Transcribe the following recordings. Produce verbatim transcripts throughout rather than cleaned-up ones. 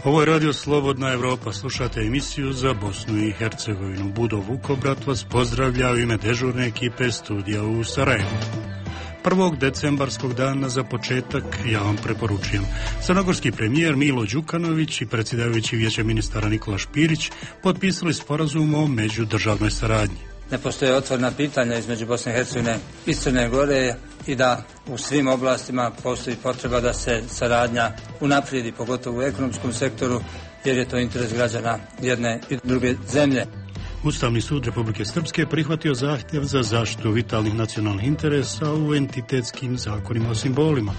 Ovo je Radio Slobodna Evropa, slušate emisiju za Bosnu i Hercegovinu. Budo Vukobrat vas pozdravlja u ime dežurne ekipe studija u Sarajevu. Prvog decembarskog dana za početak ja vam preporučujem. Crnogorski premijer Milo Đukanović i predsjedavajući Vijeća ministara Nikola Špirić potpisali sporazum o međudržavnoj saradnji. Ne postoje otvorena pitanja između Bosne i Hercegovine i Crne Gore i da u svim oblastima postoji potreba da se saradnja unaprijedi, pogotovo u ekonomskom sektoru, jer je to interes građana jedne i druge zemlje. Ustavni sud Republike Srpske prihvatio zahtjev za zaštitu vitalnih nacionalnih interesa u entitetskim zakonima o simbolima.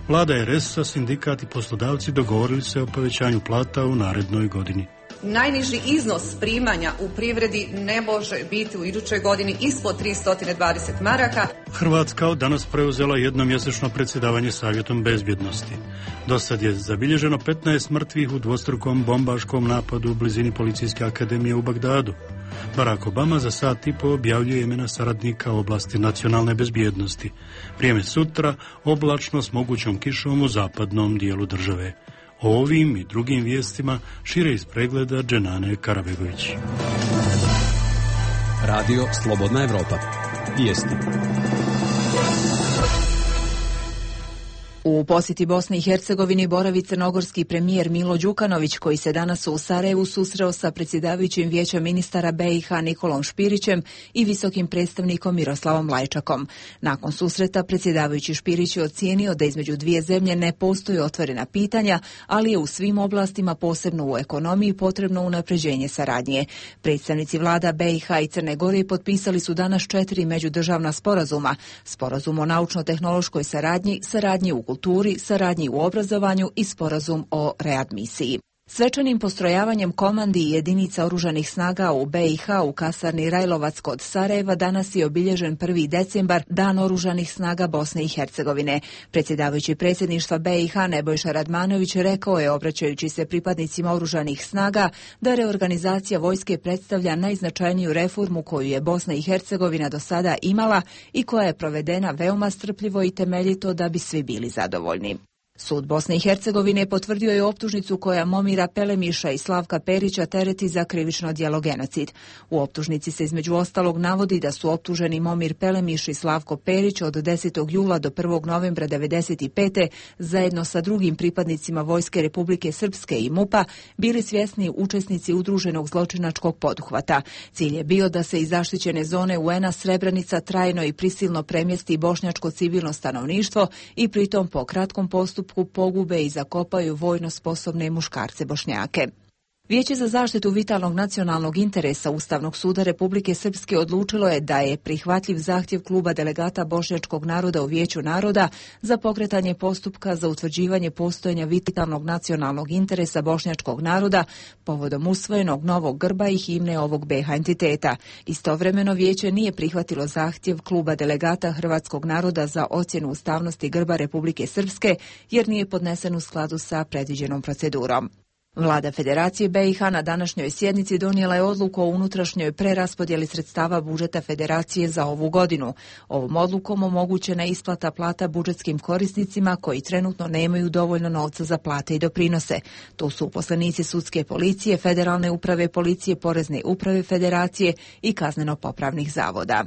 Vlada er es a, sindikat i poslodavci dogovorili se o povećanju plata u narednoj godini. Najniži iznos primanja u privredi ne može biti u idućoj godini ispod tristo dvadeset maraka. Hrvatska od danas preuzela jednomjesečno predsjedavanje Savjetom bezbjednosti. Do sad je zabilježeno petnaest mrtvih u dvostrukom bombaškom napadu u blizini Policijske akademije u Bagdadu. Barack Obama za sat i po objavljuje imena saradnika u oblasti nacionalne bezbjednosti. Vrijeme sutra oblačno s mogućom kišom u zapadnom dijelu države. O ovim i drugim vijestima šire iz pregleda Dženane Karabegović. Radio Slobodna Evropa. Vijesti. U posjeti Bosni i Hercegovini boravi crnogorski premijer Milo Đukanović, koji se danas u Sarajevu susreo sa predsjedavajućim Vijeća ministara be i ha Nikolom Špirićem i visokim predstavnikom Miroslavom Lajčakom. Nakon susreta predsjedavajući Špirić je ocijenio da između dvije zemlje ne postoji otvorena pitanja, ali je u svim oblastima, posebno u ekonomiji, potrebno unapređenje saradnje. Predstavnici vlada be i ha i Crne Gore potpisali su danas četiri međudržavna sporazuma: sporazum o naučno-tehnološkoj saradnji, saradnji u kulturi, saradnji u obrazovanju i sporazum o readmisiji. Svečanim postrojavanjem komandi i jedinica oružanih snaga u be i ha u kasarni Rajlovac kod Sarajeva danas je obilježen prvi decembar, Dan oružanih snaga Bosne i Hercegovine. Predsjedavajući predsjedništva be i ha Nebojša Radmanović rekao je, obraćajući se pripadnicima oružanih snaga, da reorganizacija vojske predstavlja najznačajniju reformu koju je Bosna i Hercegovina do sada imala i koja je provedena veoma strpljivo i temeljito da bi svi bili zadovoljni. Sud Bosne i Hercegovine potvrdio je optužnicu koja Momira Pelemiša i Slavka Perića tereti za krivično djelo genocid. U optužnici se između ostalog navodi da su optuženi Momir Pelemiš i Slavko Perić od desetog jula do prvog novembra devedeset pete zajedno sa drugim pripadnicima Vojske Republike Srpske i mupa bili svjesni učesnici udruženog zločinačkog poduhvata. Cilj je bio da se iz zaštićene zone u en a Srebrenica trajno i prisilno premjesti bošnjačko civilno stanovništvo i pritom po kratkom postupku pogube i zakopaju vojno sposobne muškarce Bošnjake. Vijeće za zaštitu vitalnog nacionalnog interesa Ustavnog suda Republike Srpske odlučilo je da je prihvatljiv zahtjev kluba delegata bošnjačkog naroda u Vijeću naroda za pokretanje postupka za utvrđivanje postojanja vitalnog nacionalnog interesa bošnjačkog naroda povodom usvojenog novog grba i himne ovog be ha entiteta. Istovremeno vijeće nije prihvatilo zahtjev kluba delegata hrvatskog naroda za ocjenu ustavnosti grba Republike Srpske jer nije podnesen u skladu sa predviđenom procedurom. Vlada Federacije be i ha na današnjoj sjednici donijela je odluku o unutrašnjoj preraspodjeli sredstava budžeta Federacije za ovu godinu. Ovom odlukom omogućena je isplata plata budžetskim korisnicima koji trenutno nemaju dovoljno novca za plate i doprinose. To su uposlenici sudske policije, federalne uprave policije, porezne uprave Federacije i kazneno-popravnih zavoda.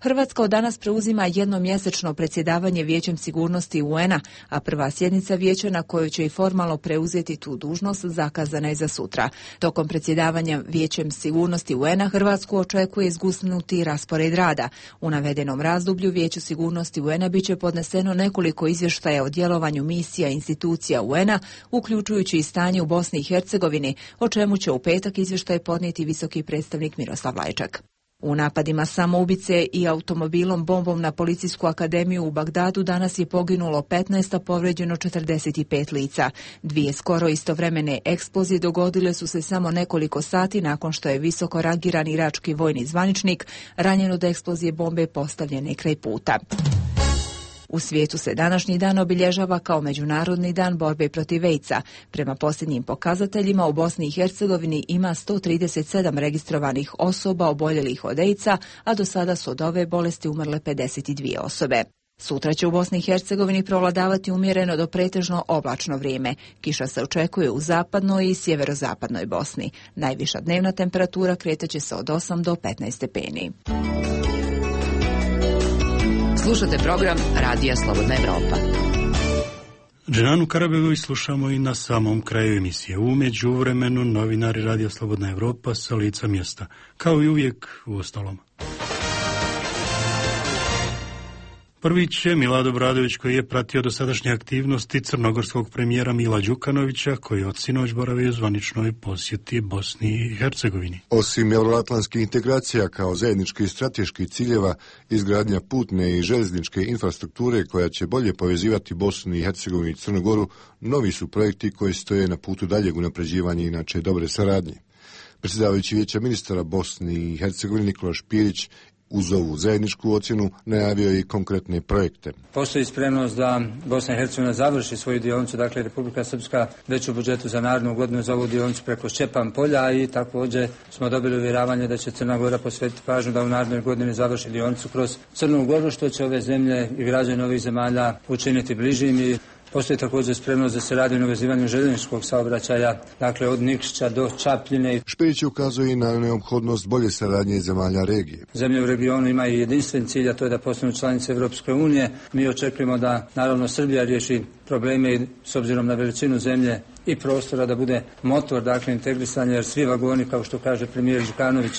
Hrvatska od danas preuzima jednomjesečno predsjedavanje Vijećem sigurnosti u en a, a prva sjednica vijeća na kojoj će i formalno preuzeti tu dužnost zakazana je za sutra. Tokom predsjedavanja Vijećem sigurnosti u en a Hrvatsku očekuje zgusnuti raspored rada. U navedenom razdoblju Vijeću sigurnosti u en a biće podneseno nekoliko izvještaja o djelovanju misija institucija u en a, uključujući i stanje u Bosni i Hercegovini, o čemu će u petak izvještaj podnijeti visoki predstavnik Miroslav Lajčak. U napadima samoubice i automobilom bombom na Policijsku akademiju u Bagdadu danas je poginulo petnaest, a povrijeđeno četrdeset pet lica. Dvije skoro istovremene eksplozije dogodile su se samo nekoliko sati nakon što je visoko rangirani irački vojni zvaničnik ranjen od eksplozije bombe postavljene kraj puta. U svijetu se današnji dan obilježava kao Međunarodni dan borbe protiv ejca. Prema posljednjim pokazateljima u Bosni i Hercegovini ima sto trideset sedam registrovanih osoba oboljelih od ejca, a do sada su od ove bolesti umrle pedeset dvije osobe. Sutra će u Bosni i Hercegovini prevladavati umjereno do pretežno oblačno vrijeme. Kiša se očekuje u zapadnoj i sjeverozapadnoj Bosni. Najviša dnevna temperatura kretaće se od osam do petnaest stepeni. Slušate program Radija Slobodna Evropa. Dženanu Karabegović slušamo i na samom kraju emisije. U međuvremenu novinari Radija Slobodna Evropa sa lica mjesta. Kao i uvijek u ostalom. Prvić je Milad Obradović koji je pratio dosadašnje aktivnosti crnogorskog premijera Mila Đukanovića koji od sinoć boravi u zvaničnoj posjeti Bosni i Hercegovini. Osim euroatlantskih integracija kao zajedničkih strateških ciljeva, izgradnja putne i željezničke infrastrukture koja će bolje povezivati Bosnu i Hercegovinu i Crnu Goru, novi su projekti koji stoje na putu daljeg unapređivanja inače dobre saradnje. Predsjedavajući Vijeća ministara Bosni i Hercegovine Nikola Špirić uz ovu zajedničku ocjenu najavio i konkretne projekte. Postoji spremnost da Bosna i Hercegovina završi svoju dionicu, dakle Republika Srpska već u budžetu za narednu godinu za ovu dionicu preko Šćepan polja i također smo dobili uvjeravanje da će Crna Gora posvetiti pažnju da u narednoj godini završi dionicu kroz Crnu Goru, što će ove zemlje i građani ovih zemalja učiniti bližim. I postoji također spremnost da se radi na uvezivanju željezničkog saobraćaja, dakle od Nikšića do Čapljine. Špirić ukazuje i na neophodnost bolje saradnje zemalja regije. Zemlje u regionu imaju jedinstven cilj, a to je da postanu članice Europske unije. Mi očekujemo da naravno Srbija riješi probleme i s obzirom na veličinu zemlje i prostora da bude motor, dakle integrisanja, jer svi vagoni, kao što kaže premijer Đukanović,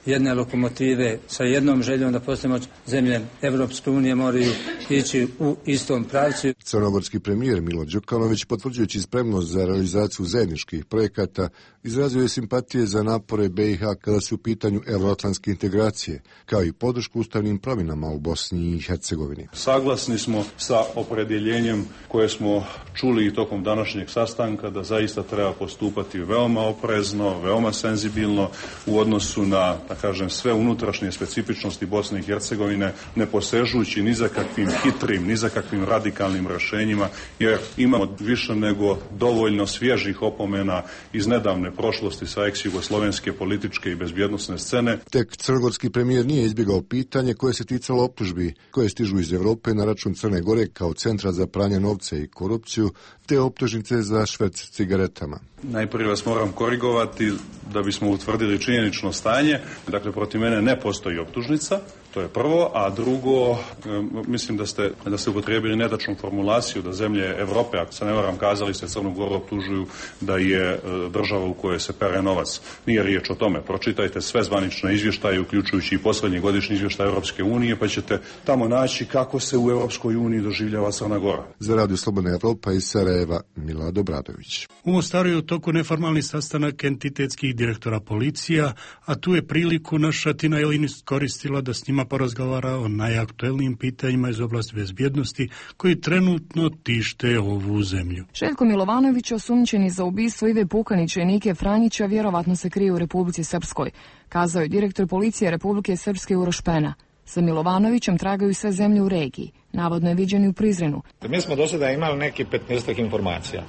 jedne lokomotive sa jednom željom da postanemo zemlje Evropske unije moraju ići u istom pravcu. Crnogorski premijer Milo Đukanović, potvrđujući spremnost za realizaciju zajedničkih projekata, izrazio je simpatije za napore B i H kada su u pitanju euroatlantske integracije, kao i podršku ustavnim promjenama u Bosni i Hercegovini. Saglasni smo sa opredjeljenjem koje smo čuli i tokom današnjeg sastanka da zaista treba postupati veoma oprezno, veoma senzibilno u odnosu na, da kažem, sve unutrašnje specifičnosti Bosne i Hercegovine, ne posežući ni za kakvim hitrim, ni za kakvim radikalnim rješenjima, jer imamo više nego dovoljno svježih opomena iz nedavne prošlosti sa ex-jugoslovenske političke i bezbjednosne scene. Tek crnogorski premijer nije izbjegao pitanje koje se ticalo optužbi koje stižu iz Europe na račun Crne Gore kao centra za pranje novca i korupciju, te optužnice za šverc cigaretama. Najprije vas moram korigovati da bismo utvrdili činjenično stanje. Dakle, protiv mene ne postoji optužnica, to je prvo, a drugo, mislim da ste, da ste upotrijebili netačnu formulaciju da zemlje Europe, ako se ne varam, kazali ste Crnu Goru optužuju da je država u kojoj se pere novac. Nije riječ o tome. Pročitajte sve zvanične izvještaje, uključujući i posljednji godišnji izvještaj Europske unije, pa ćete tamo naći kako se u Europskoj uniji doživljava Crna Gora. Za Radio Slobodna Evropa iz Sarajeva, Milad Obradović. U Mostaru je u toku neformalni sastanak entitetskih direktora policija, a tu je priliku naša Tina Jelin iskoristila da s njima porazgovara o najaktuelnijim pitanjima iz oblasti bezbjednosti koji trenutno tište ovu zemlju. Željko Milovanović, osumnjičeni za ubistvo Ive Pukanića i Nike Franjića, vjerovatno se krije u Republici Srpskoj, kazao je direktor policije Republike Srpske Uroš Pena. Sa Milovanovićem tragaju sve zemlje u regiji. Navodno je viđen i u Prizrenu. Mi smo do sada imali neki petnaestak informacija,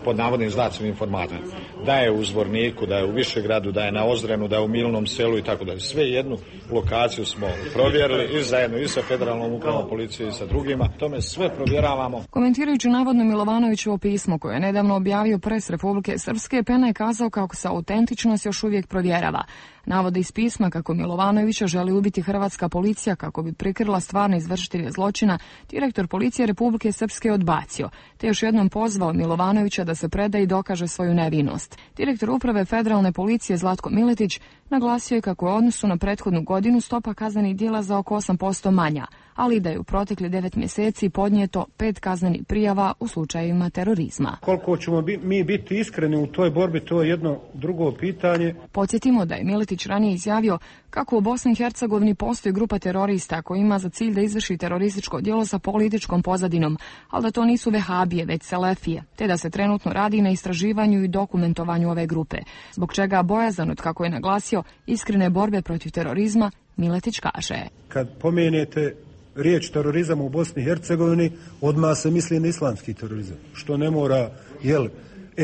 pod navodnim znacima informatora. Da je u Zvorniku, da je u Višegradu, da je na Ozrenu, da je u Milnom selu i tako dalje. Sve jednu lokaciju smo provjerili i zajedno i sa federalnom upravom policije i sa drugima. Tome sve provjeravamo. Komentirajući navodno Milovanovićevo pismo koje je nedavno objavio pres Republike Srpske, Pena je kazao kako se autentičnost još uvijek provjerava. Navode iz pisma kako Milovanovića želi ubiti hrvatska policija kako bi prikrila stvarne izvršitelje zločina, direktor policije Republike Srpske je odbacio, te još jednom pozvao Milovanovića da se preda i dokaže svoju nevinost. Direktor uprave federalne policije Zlatko Miletić naglasio je kako je u odnosu na prethodnu godinu stopa kaznenih djela za oko osam posto manja, ali da je u protekli devet mjeseci podnijeto pet kaznenih prijava u slučajevima terorizma. Koliko ćemo bi, mi biti iskreni u toj borbi, to je jedno drugo pitanje. Podsjetimo da je Miletić ranije izjavio kako u Bosni i Hercegovini postoji grupa terorista koji ima za cilj da izvrši terorističko djelo sa političkom pozadinom, ali da to nisu vehabije, već selefije, te da se trenutno radi na istraživanju i dokumentovanju ove grupe, zbog čega bojazan od, kako je naglasio, iskrene borbe protiv terorizma, Miletić kaže. Kad pomenete riječ terorizam u Bosni i Hercegovini, odmah se misli na islamski terorizam, što ne mora, jel,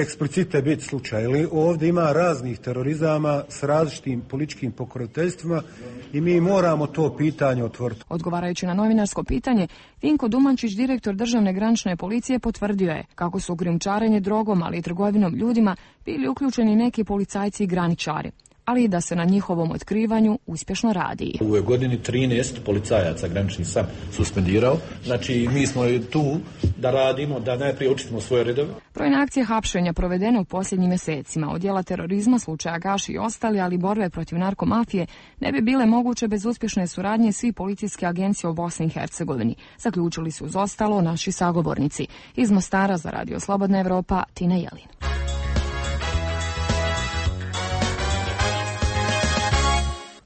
eksplicite biti slučaj. Ili ovdje ima raznih terorizama s različitim političkim pokroviteljstvima i mi moramo to pitanje otvoriti. Odgovarajući na novinarsko pitanje, Vinko Dumančić, direktor državne granične policije, potvrdio je kako su u krijumčarenje drogom, ali i trgovinom ljudima bili uključeni neki policajci i graničari, ali i da se na njihovom otkrivanju uspješno radi. U ovoj godini trinaest policajaca graničnih sam suspendirao, znači mi smo tu da radimo, da najprije učitimo svoje redove. Brojne akcije hapšenja provedene u posljednjim mjesecima od djela terorizma, slučaja Gaši i ostali, ali borbe protiv narkomafije ne bi bile moguće bez uspješne suradnje svih policijske agencije u Bosni i Hercegovini, zaključili su uz ostalo naši sagovornici. Iz Mostara za Radio Slobodna Evropa, Tina Jelin.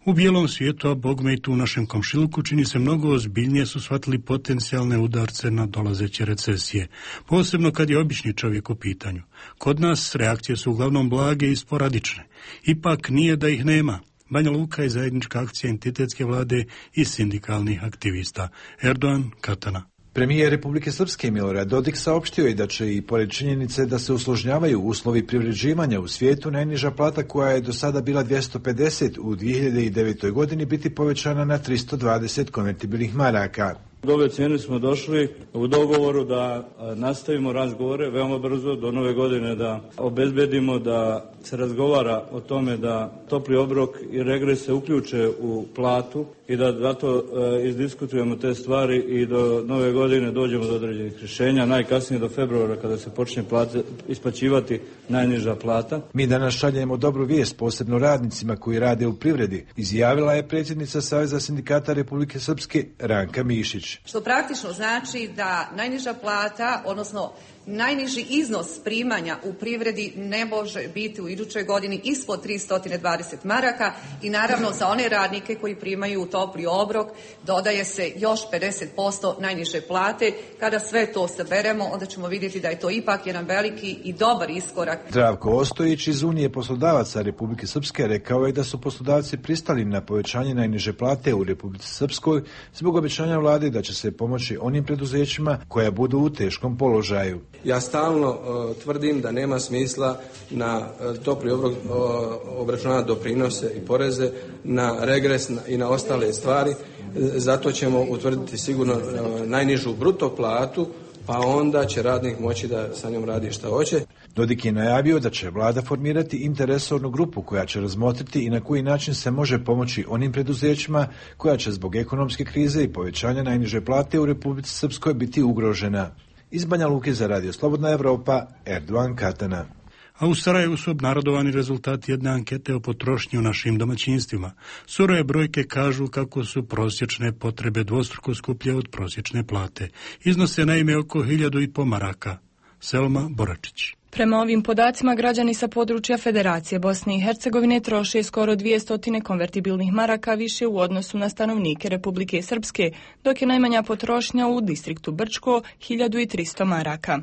U bijelom svijetu, a bogme i tu u našem komšiluku, čini se mnogo ozbiljnije su shvatili potencijalne udarce na dolazeće recesije, posebno kad je obični čovjek u pitanju. Kod nas reakcije su uglavnom blage i sporadične. Ipak nije da ih nema. Banja Luka je zajednička akcija entitetske vlade i sindikalnih aktivista. Erdogan, Katana. Premijer Republike Srpske Milorad Dodik saopštio je da će i pored činjenice da se usložnjavaju uslovi privređivanja u svijetu, najniža plata koja je do sada bila dvjesto pedeset u dvije hiljade devetoj godini biti povećana na tristo dvadeset konvertibilnih maraka. Do ove cijene smo došli u dogovoru da nastavimo razgovore veoma brzo do nove godine, da obezbedimo da se razgovara o tome da topli obrok i regres se uključe u platu i da zato e, izdiskutujemo te stvari i do nove godine dođemo do određenih rješenja, najkasnije do februara kada se počne plate, isplaćivati najniža plata. Mi danas šaljemo dobru vijest posebno radnicima koji rade u privredi, izjavila je predsjednica Saveza sindikata Republike Srpske Ranka Mišić. Što praktično znači da najniža plata, odnosno najniži iznos primanja u privredi ne može biti u idućoj godini ispod tristo dvadeset maraka i naravno za one radnike koji primaju topli obrok dodaje se još pedeset posto najniže plate. Kada sve to saberemo, onda ćemo vidjeti da je to ipak jedan veliki i dobar iskorak. Zdravko Ostojić iz Unije poslodavaca Republike Srpske rekao je da su poslodavci pristali na povećanje najniže plate u Republici Srpskoj zbog obećanja vlade da će se pomoći onim preduzećima koja budu u teškom položaju. Ja stalno uh, tvrdim da nema smisla na uh, topli obrok uh, obračunati doprinose i poreze, na regres na, i na ostale stvari. Zato ćemo utvrditi sigurno uh, najnižu bruto platu, pa onda će radnik moći da sa njom radi šta hoće. Dodik je najavio da će vlada formirati interresornu grupu koja će razmotriti i na koji način se može pomoći onim preduzećima koja će zbog ekonomske krize i povećanja najniže plate u Republici Srpskoj biti ugrožena. Iz Banja Luke za Radio Slobodna Evropa, Erdogan, Katana. A u Sarajevu su obnarodovani rezultati jedne ankete o potrošnji u našim domaćinstvima. Surove brojke kažu kako su prosječne potrebe dvostruko skuplje od prosječne plate. Iznose naime oko hiljadu i po maraka. Selma Boračić. Prema ovim podacima, građani sa područja Federacije Bosne i Hercegovine troše skoro dvjesto konvertibilnih maraka više u odnosu na stanovnike Republike Srpske, dok je najmanja potrošnja u distriktu Brčko hiljadu tristo maraka.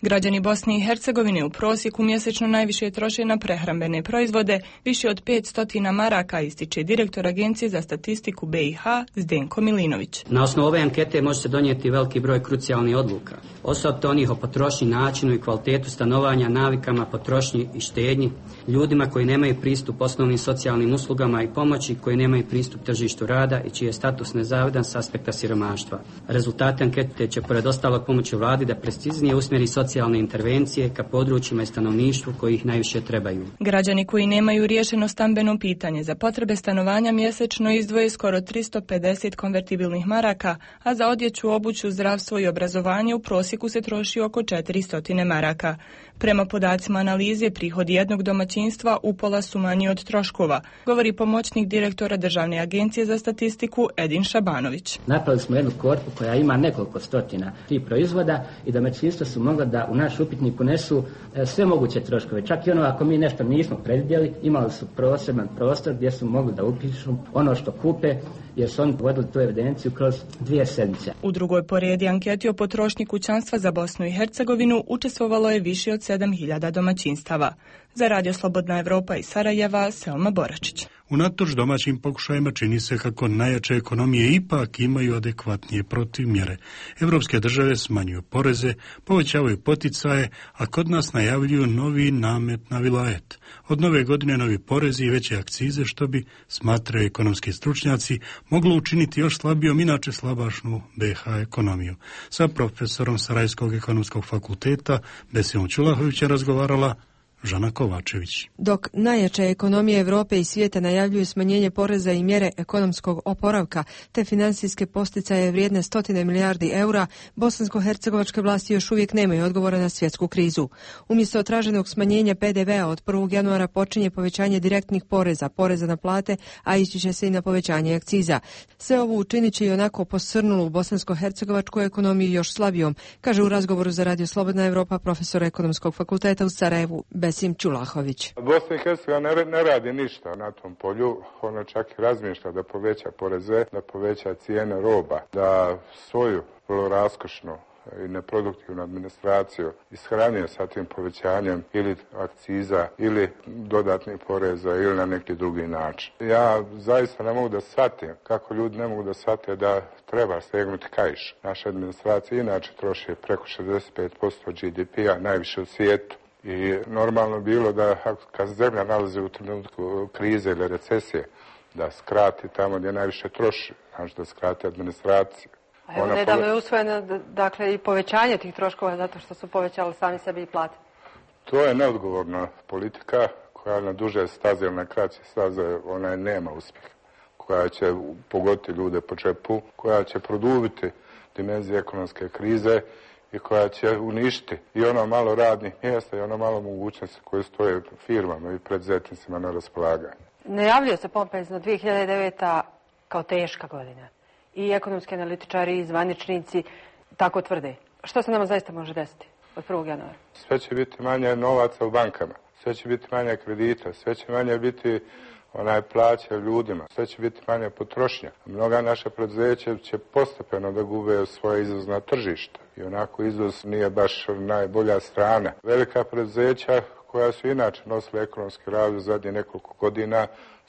Građani Bosne i Hercegovine u prosjeku mjesečno najviše troše na prehrambene proizvode, više od petsto maraka, ističe direktor Agencije za statistiku B i H Zdenko Milinović. Na osnovu ove ankete može se donijeti veliki broj krucijalnih odluka, osobito onih o potrošnji, načinu i kvalitetu stanovanja, navikama, potrošnji i štednji, ljudima koji nemaju pristup osnovnim socijalnim uslugama i pomoći, koji nemaju pristup tržištu rada i čiji je status nezavidan s aspekta siromaštva. Rezultati ankete će pored ostalog pomoći vladi da preciznije usmjeri socijalne intervencije ka područjima i stanovništvu koji ih najviše trebaju. Građani koji nemaju riješeno stambeno pitanje za potrebe stanovanja mjesečno izdvoje skoro tristo pedeset konvertibilnih maraka, a za odjeću, obuću, zdravstvo i obrazovanje u prosjeku se troši oko četiristo maraka. Prema podacima analize, prihodi jednog domaćinstva upola su manji od troškova, govori pomoćnik direktora Državne agencije za statistiku Edin Šabanović. Napravili smo jednu korpu koja ima nekoliko stotina tih proizvoda i domaćinstva su mogla da u naš upitnik unesu sve moguće troškove. Čak i ono ako mi nešto nismo predvidjeli, imali su poseban prostor gdje su mogli da upišu ono što kupe, jer su oni vodili tu evidenciju kroz dvije sedmice. U drugoj poredi anketi o potrošnji kućanstva za Bosnu i Hercegovinu učestvovalo je više od sedam hiljada domaćinstava. Za Radio Slobodna Evropa iz Sarajeva, Selma Boračić. Unatoč domaćim pokušajima čini se kako najjače ekonomije ipak imaju adekvatnije protivmjere. Evropske države smanjuju poreze, povećavaju poticaje, a kod nas najavljuju novi namet na vilajet. Od nove godine novi porezi i veće akcize, što bi, smatraju ekonomski stručnjaci, moglo učiniti još slabijom inače slabašnu B H ekonomiju. Sa profesorom Sarajevskog ekonomskog fakulteta Besimom Čulahovićem razgovarala Žana Kovačević. Dok najjače ekonomije Europe i svijeta najavljuju smanjenje poreza i mjere ekonomskog oporavka te financijske posticaje vrijedne stotine milijardi eura, bosansko-hercegovačke vlasti još uvijek nemaju odgovora na svjetsku krizu. Umjesto traženog smanjenja P D V-a od prvog januara počinje povećanje direktnih poreza, poreza na plate, a ići će se i na povećanje akciza. Sve ovo učinit će i onako posrnulu bosansko-hercegovačku ekonomiju još slabijom, kaže u razgovoru za Radio Slobodna Evropa profesor ekonomskog fakulteta u Sarajevu Besim Čulahović. Bosna i Hercegovina ne, ne radi ništa na tom polju, ona čak i razmišlja da poveća poreze, da poveća cijene roba, da svoju vrlo raskošnu i neproduktivnu administraciju ishranio sa tim povećanjem ili akciza ili dodatnih poreza ili na neki drugi način. Ja zaista ne mogu da shvatim kako ljudi ne mogu da shvate da treba stegnuti kaiš. Naša administracija inače troši preko šezdeset pet posto G D P-a, najviše u svijetu. I normalno bilo da kad zemlja nalazi u trenutku krize ili recesije, da skrati tamo gdje najviše troši, znači da skrati administraciju. A evo nedavno je usvojeno dakle, i povećanje tih troškova zato što su povećali sami sebi i plate. To je neodgovorna politika koja na duže staze ili na kraće staze ona nema uspjeha, koja će pogoditi ljude po džepu, koja će produbiti dimenzije ekonomske krize i koja će uništiti i ono malo radnih mjesta i ono malo mogućnosti koje stoje firmama i preduzetnicima na raspolaganju. Najavljuje se pompezno dvije hiljade deveta kao teška godina. I ekonomski analitičari i zvaničnici tako tvrde. Što se nama zaista može desiti od prvog januara? Sve će biti manje novaca u bankama, sve će biti manje kredita, sve će manje biti onaj plaća ljudima, sve će biti manja potrošnja. Mnoga naša preduzeća će postepeno da gube svoje izvozna tržišta i onako izvoz nije baš najbolja strana. Velika preduzeća koja su inače nosila ekonomski razvoj zadnje nekoliko godina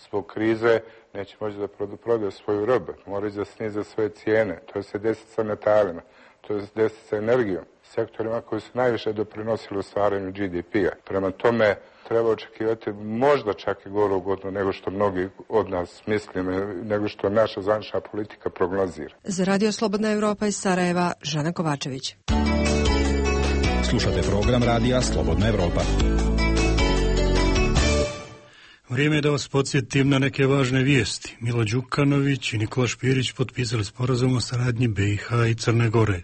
zbog krize neće moći da prodaju svoju robu, moraju da snize svoje cijene, to se desi sa metalima, to se desi sa energijom, sektorima koji su najviše doprinosili u stvaranju G D P-a. Prema tome treba očekivati možda čak i goru godinu nego što mnogi od nas mislimo, nego što naša zvanična politika prognozira. Za Radio Slobodna Evropa iz Sarajeva, Žana Kovačević. Slušate program Radija Slobodna Evropa. Vrijeme je da vas podsjetim na neke važne vijesti. Milo Đukanović i Nikola Špirić potpisali sporazum o saradnji B i H i Crne Gore.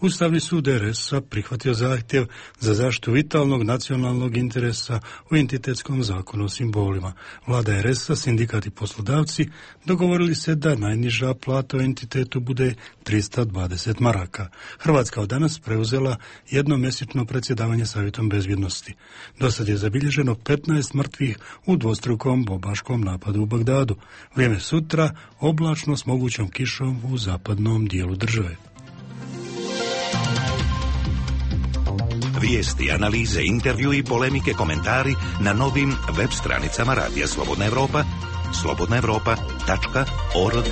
Ustavni sud R S-a prihvatio zahtjev za zaštitu vitalnog nacionalnog interesa u entitetskom zakonu o simbolima. Vlada R S-a, sindikat i poslodavci dogovorili se da najniža plata u entitetu bude tristo dvadeset maraka. Hrvatska od danas preuzela jednomjesečno predsjedavanje Savjetom bezbjednosti. Do sad je zabilježeno petnaest mrtvih u dvostrukom bombaškom napadu u Bagdadu. Vrijeme sutra oblačno s mogućom kišom u zapadnom dijelu države. Vijesti, analize, intervju i polemike, komentari na novim web stranicama Radija Slobodna Evropa, slobodna evropa tačka org.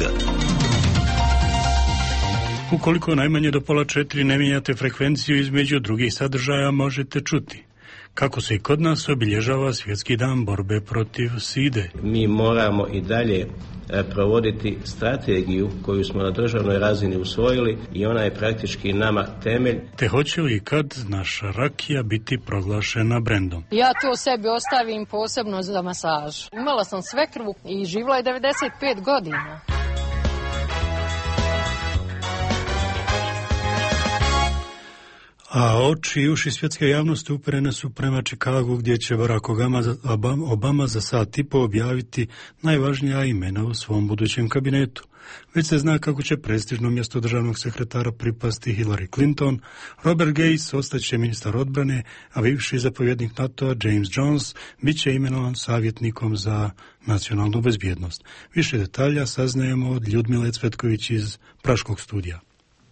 Ukoliko najmanje do pola četiri ne mijenjate frekvenciju između drugih sadržaja, možete čuti kako se i kod nas obilježava Svjetski dan borbe protiv side. Mi moramo i dalje provoditi strategiju koju smo na državnoj razini usvojili i ona je praktički nama temelj. Te hoće li kad naša rakija biti proglašena brendom? Ja to sebi ostavim posebno za masažu. Imala sam svekrvu i živjela je devedeset pet godina. A oči i uši svjetske javnosti uperene su prema Čikagu, gdje će Barack Obama za sat i po objaviti najvažnija imena u svom budućem kabinetu. Već se zna kako će prestižno mjesto državnog sekretara pripasti Hillary Clinton, Robert Gates ostaće ministar odbrane, a bivši zapovjednik NATO-a James Jones bit će imenovan savjetnikom za nacionalnu bezbjednost. Više detalja saznajemo od Ljudmile Cvetković iz Praškog studija.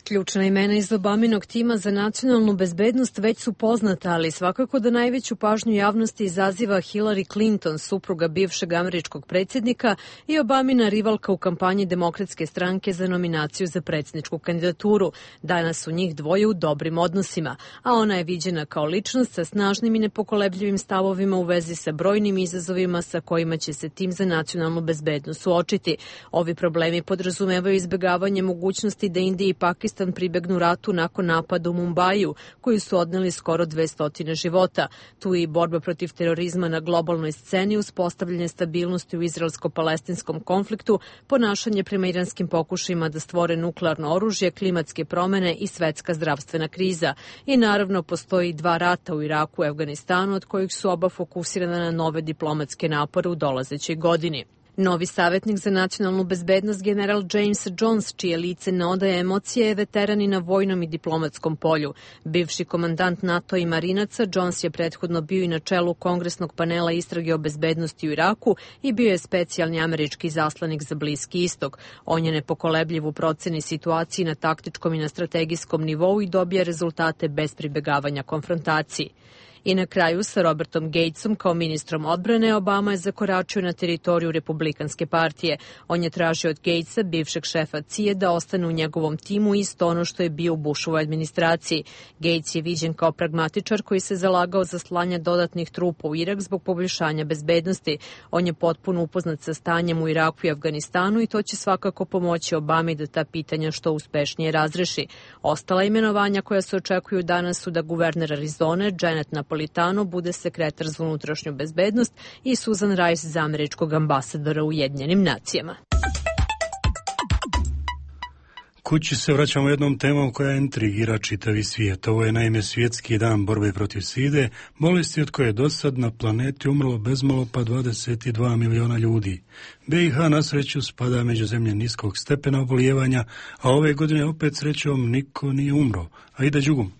Ključna imena iz Obaminog tima za nacionalnu bezbednost već su poznata, ali svakako da najveću pažnju javnosti izaziva Hillary Clinton, supruga bivšeg američkog predsjednika i Obamina rivalka u kampanji Demokratske stranke za nominaciju za predsjedničku kandidaturu. Danas su njih dvoje u dobrim odnosima, a ona je viđena kao ličnost sa snažnim i nepokolebljivim stavovima u vezi sa brojnim izazovima sa kojima će se tim za nacionalnu bezbednost suočiti. Ovi problemi podrazumevaju izbjegavanje mogućnosti da Indija i Pakistan pribegnu ratu nakon napada u Mumbaju, koji su odneli skoro dvesta života. Tu je i borba protiv terorizma na globalnoj sceni, uspostavljanje stabilnosti u izraelsko-palestinskom konfliktu, ponašanje prema iranskim pokušajima da stvore nuklearno oružje, klimatske promene i svetska zdravstvena kriza. I naravno postoji dva rata u Iraku i Afganistanu, od kojih su oba fokusirana na nove diplomatske napore u dolazećoj godini. Novi savjetnik za nacionalnu bezbednost general James Jones, čije lice ne odaje emocije, je veteran i na vojnom i diplomatskom polju. Bivši komandant NATO i marinaca, Jones je prethodno bio i na čelu kongresnog panela istrage o bezbednosti u Iraku i bio je specijalni američki zaslanik za Bliski istok. On je nepokolebljiv u proceni situaciji na taktičkom i na strategijskom nivou i dobija rezultate bez pribegavanja konfrontaciji. I na kraju sa Robertom Gatesom kao ministrom odbrane Obama je zakoračio na teritoriju Republikanske partije. On je tražio od Gatesa, bivšeg šefa C I A, da ostane u njegovom timu isto ono što je bio u Bushovoj administraciji. Gates je viđen kao pragmatičar koji se zalagao za slanje dodatnih trupa u Irak zbog poboljšanja bezbednosti. On je potpuno upoznat sa stanjem u Iraku i Afganistanu i to će svakako pomoći Obami da ta pitanja što uspešnije razreši. Ostala imenovanja koja se očekuju danas su da guverner Arizone, Janet Napolitano, bude sekretar za unutrašnju bezbednost i Susan Rice za američkog ambasadora u Ujedinjenim nacijama. Kući se vraćamo jednom temom koja intrigira čitavi svijet. Ovo je naime svjetski dan borbe protiv side, bolesti od koje do sad na planeti umrlo bezmalo pa dvadeset dva miliona ljudi. B i H na sreću spada među zemlje niskog stepena obolijevanja, a ove godine opet srećom niko nije umro. A ide Đugum.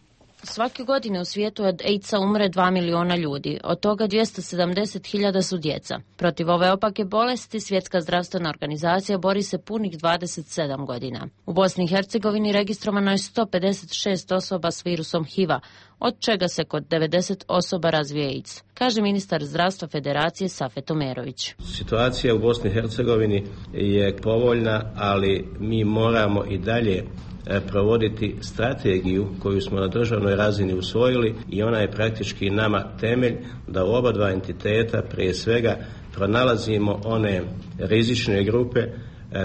Svake godine u svijetu od AIDS-a umre dva miliona ljudi, od toga dvjesto sedamdeset hiljada su djeca. Protiv ove opake bolesti Svjetska zdravstvena organizacija bori se punih dvadeset sedam godina. U Bosni i Hercegovini registrovano je sto pedeset šest osoba s virusom H I V-a, od čega se kod devedeset osoba razvije AIDS, kaže ministar zdravstva Federacije Safet Omerović. Situacija u Bosni i Hercegovini je povoljna, ali mi moramo i dalje provoditi strategiju koju smo na državnoj razini usvojili i ona je praktički nama temelj da u oba dva entiteta prije svega pronalazimo one rizične grupe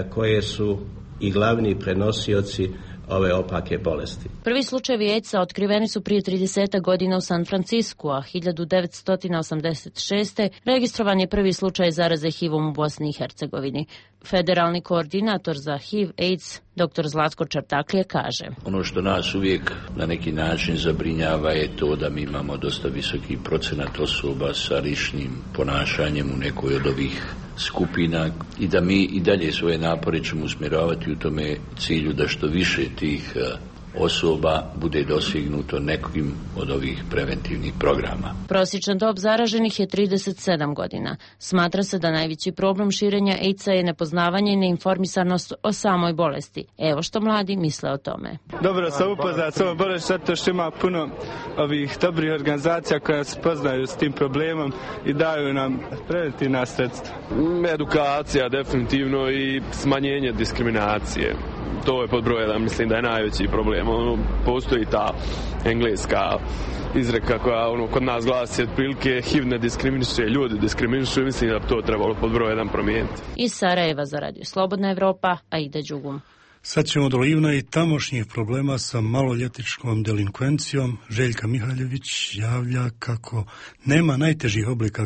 koje su i glavni prenosioci ove opake bolesti. Prvi slučajevi AIDS-a otkriveni su prije trideset godina u San Francisku, a hiljadu devetsto osamdeset šeste. registrovan je prvi slučaj zaraze H I V-om u Bosni i Hercegovini. Federalni koordinator za H I V AIDS, dr. Zlatko Čartaklije, kaže: Ono što nas uvijek na neki način zabrinjava je to da mi imamo dosta visoki procenat osoba sa rizičnim ponašanjem u nekoj od ovih skupina i da mi i dalje svoje napore ćemo usmjeravati u tome cilju da što više tih osoba bude dosignuto nekim od ovih preventivnih programa. Prosječna dob zaraženih je trideset sedam godina. Smatra se da najveći problem širenja AIDS-a je nepoznavanje i neinformisanost o samoj bolesti. Evo što mladi misle o tome. Dobro sam upoznat s ovom bolešću zato što ima puno ovih dobrih organizacija koja se poznaju s tim problemom i daju nam preventivna sredstva. Edukacija definitivno i smanjenje diskriminacije. To je pod broj jedan, mislim da je najveći problem. Ono, postoji ta engleska izreka koja ono, kod nas glasi otprilike H I V ne diskriminiše, ljudi diskriminišu, mislim da to trebalo pod broj jedan promijeniti. Iz Sarajeva za Radio Slobodna Evropa, Aida Đugum. Sad ćemo do Livna i tamošnjih problema sa maloljetničkom delinkvencijom. Željka Mihaljević javlja kako nema najtežih oblika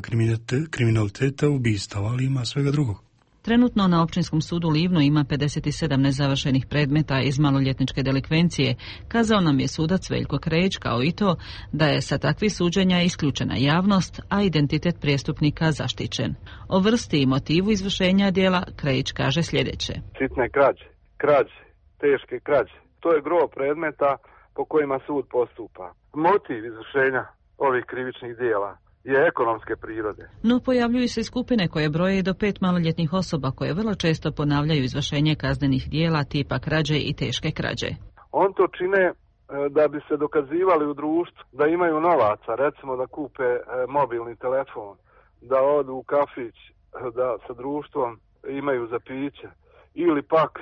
kriminaliteta ubistava, ali ima svega drugog. Trenutno na Općinskom sudu Livno ima pedeset sedam nezavršenih predmeta iz maloljetničke delikvencije, kazao nam je sudac Veljko Krejić, kao i to da je sa takvih suđenja isključena javnost, a identitet prijestupnika zaštićen. O vrsti i motivu izvršenja djela Krejić kaže sljedeće. Sitne krađe, krađe, teške krađe. To je gro predmeta po kojima sud postupa. Motiv izvršenja ovih krivičnih djela je ekonomske prirode. No pojavljuju se skupine koje broje i do pet maloljetnih osoba koje vrlo često ponavljaju izvršenje kaznenih dijela tipa krađe i teške krađe. On to čine da bi se dokazivali u društvu, da imaju novaca, recimo da kupe mobilni telefon, da odu u kafić, da sa društvom imaju za piće, ili pak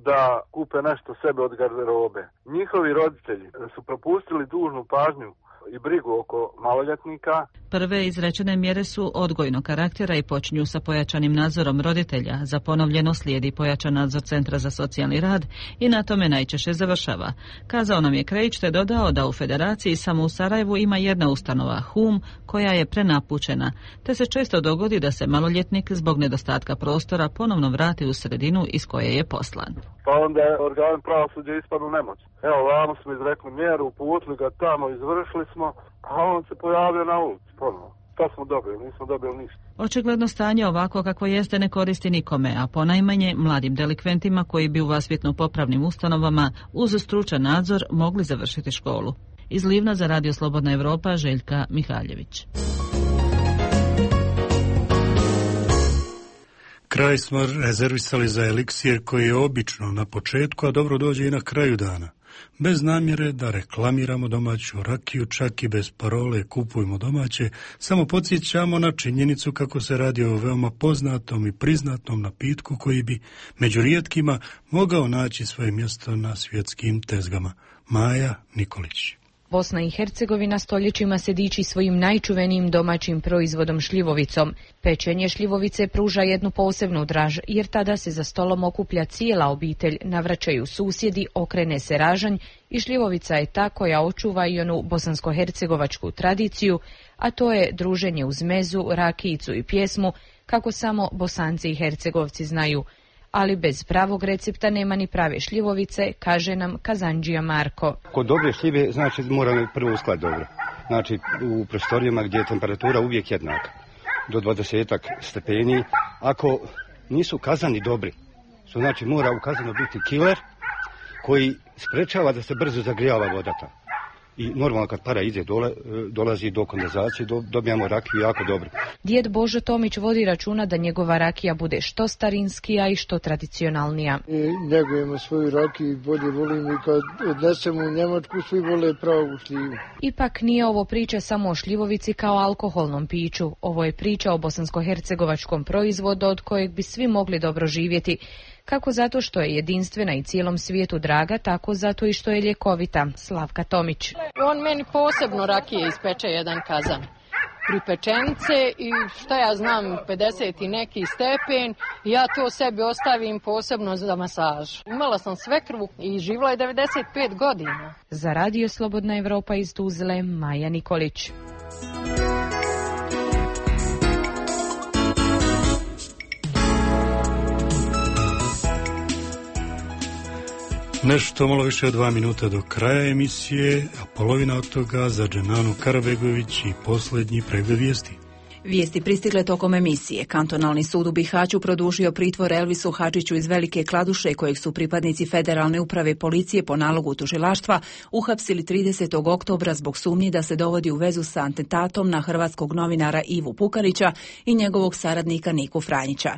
da kupe nešto sebe od garderobe. Njihovi roditelji su propustili dužnu pažnju i brigu oko maloljetnika. Prve izrečene mjere su odgojnog karaktera i počinju sa pojačanim nadzorom roditelja. Za ponovljeno slijedi pojačan nadzor Centra za socijalni rad i na tome najčešće završava. Kazao nam je Krejić te dodao da u Federaciji samo u Sarajevu ima jedna ustanova, Hum, koja je prenapučena, te se često dogodi da se maloljetnik zbog nedostatka prostora ponovno vrati u sredinu iz koje je poslan. Pa onda je organ pravosuđa ispadnu nemoć. Evo, vamo smo izrekli mjeru, uputili ga tamo, izvršili smo, a on se pojavio na ulici ponovo. Šta smo dobili? Nismo dobili ništa. Očigledno stanje ovako kako jeste ne koristi nikome, a ponajmanje mladim delikventima koji bi u vaspitno-popravnim ustanovama uz stručan nadzor mogli završiti školu. Iz Livna za Radio Slobodna Evropa, Željka Mihaljević. Kraj smo rezervisali za eliksir koji je obično na početku, a dobro dođe i na kraju dana. Bez namjere da reklamiramo domaću rakiju, čak i bez parole kupujmo domaće, samo podsjećamo na činjenicu kako se radi o veoma poznatom i priznatom napitku koji bi među rijetkima mogao naći svoje mjesto na svjetskim tezgama. Maja Nikolić. Bosna i Hercegovina stoljećima se diči svojim najčuvenijim domaćim proizvodom šljivovicom. Pečenje šljivovice pruža jednu posebnu draž, jer tada se za stolom okuplja cijela obitelj, navraćaju susjedi, okrene se ražanj i šljivovica je ta koja očuva i onu bosansko-hercegovačku tradiciju, a to je druženje uz mezu, rakijicu i pjesmu, kako samo Bosanci i Hercegovci znaju. Ali bez pravog recepta nema ni prave šljivovice, kaže nam kazandžija Marko. Kod dobre šljive znači moramo prvo uskladiti dobro. Znači u prostorijama gdje je temperatura uvijek jednaka, do dvadesetak stepeni. Ako nisu kazani dobri, što znači mora u kazanu biti kiler koji sprečava da se brzo zagrijava vodata. I normalno kad para ide dole, dolazi do kondenzacije, do, dobijamo rakiju jako dobro. Djed Božo Tomić vodi računa da njegova rakija bude što starinskija i što tradicionalnija. I njegujemo svoju rakiju i bolje volimo i kad odnesemo u Njemačku svi vole pravu šljivu. Ipak nije ovo priča samo o šljivovici kao alkoholnom piću. Ovo je priča o bosansko-hercegovačkom proizvodu od kojeg bi svi mogli dobro živjeti. Kako zato što je jedinstvena i cijelom svijetu draga, tako zato i što je ljekovita. Slavka Tomić. On meni posebno rakije ispeče jedan kazan. Pripečenice i šta ja znam, pedeset i neki stepen, ja to sebi ostavim posebno za masaž. Imala sam svekrvu i živjela je devedeset pet godina. Za Radio Slobodna Evropa iz Tuzle, Maja Nikolić. Nešto malo više od dva minuta do kraja emisije, a polovina od toga za Dženanu Karabegović i posljednji pregled vijesti. Vijesti pristigle tokom emisije. Kantonalni sud u Bihaću produžio pritvor Elvisu Hadžiću iz Velike Kladuše, kojeg su pripadnici Federalne uprave policije po nalogu tužilaštva uhapsili tridesetog oktobra zbog sumnji da se dovodi u vezu sa atentatom na hrvatskog novinara Ivu Pukanića i njegovog saradnika Niku Franjića.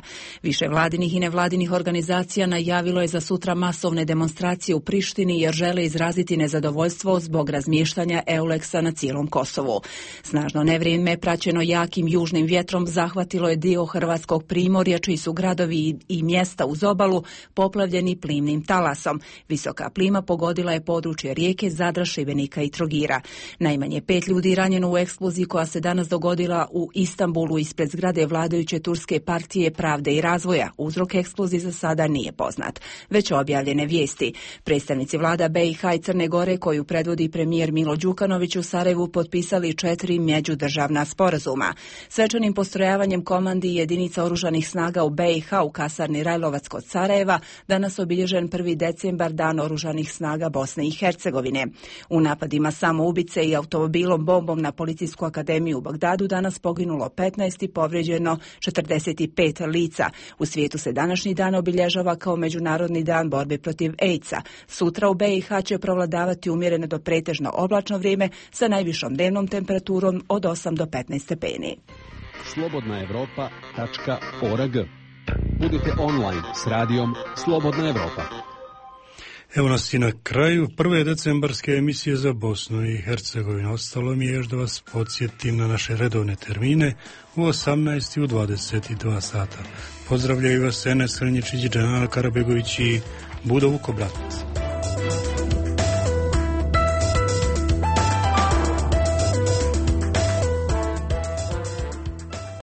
Više vladinih i nevladinih organizacija najavilo je za sutra masovne demonstracije u Prištini jer žele izraziti nezadovoljstvo zbog razmještanja Euleksa na cijelom Kosovu. Snažno nevrijeme praćeno jakim južnim vjetrom zahvatilo je dio hrvatskog primorja, čiji su gradovi i mjesta uz obalu poplavljeni plimnim talasom. Visoka plima pogodila je područje Rijeke, Zadra, Šibenika i Trogira. Najmanje pet ljudi ranjeno u eksploziji koja se danas dogodila u Istanbulu ispred zgrade vladajuće turske partije Pravde i razvoja. Uzrok eksplozije za sada nije poznat. Već objavljene vijesti. Predstavnici vlada B i H i Crne Gore, koju predvodi premijer Milo Đukanović, u Sarajevu potpisali četiri međudržavna sporazuma. Svečanim postrojavanjem komandi jedinica oružanih snaga u B i H u kasarni Rajlovac kod Sarajeva danas obilježen prvi decembar, dan oružanih snaga Bosne i Hercegovine. U napadima samoubice i automobilom bombom na Policijsku akademiju u Bagdadu danas poginulo petnaest i povrijeđeno četrdeset pet lica. U svijetu se današnji dan obilježava kao Međunarodni dan borbe protiv AIDS-a. Sutra u B i H će provladavati umjereno do pretežno oblačno vrijeme sa najvišom dnevnom temperaturom od osam do petnaest stepeni. slobodna evropa tačka org. Budite online s radijom Slobodna Evropa. Evo nas i na kraju prve decembarske emisije za Bosnu i Hercegovinu. Ostalo mi je još da vas podsjetim na naše redovne termine u osamnaest i u dvadeset dva sata. Pozdravljaju vas Enes Hrnjičić, Džanal Karabegović i Budo Vukobratac.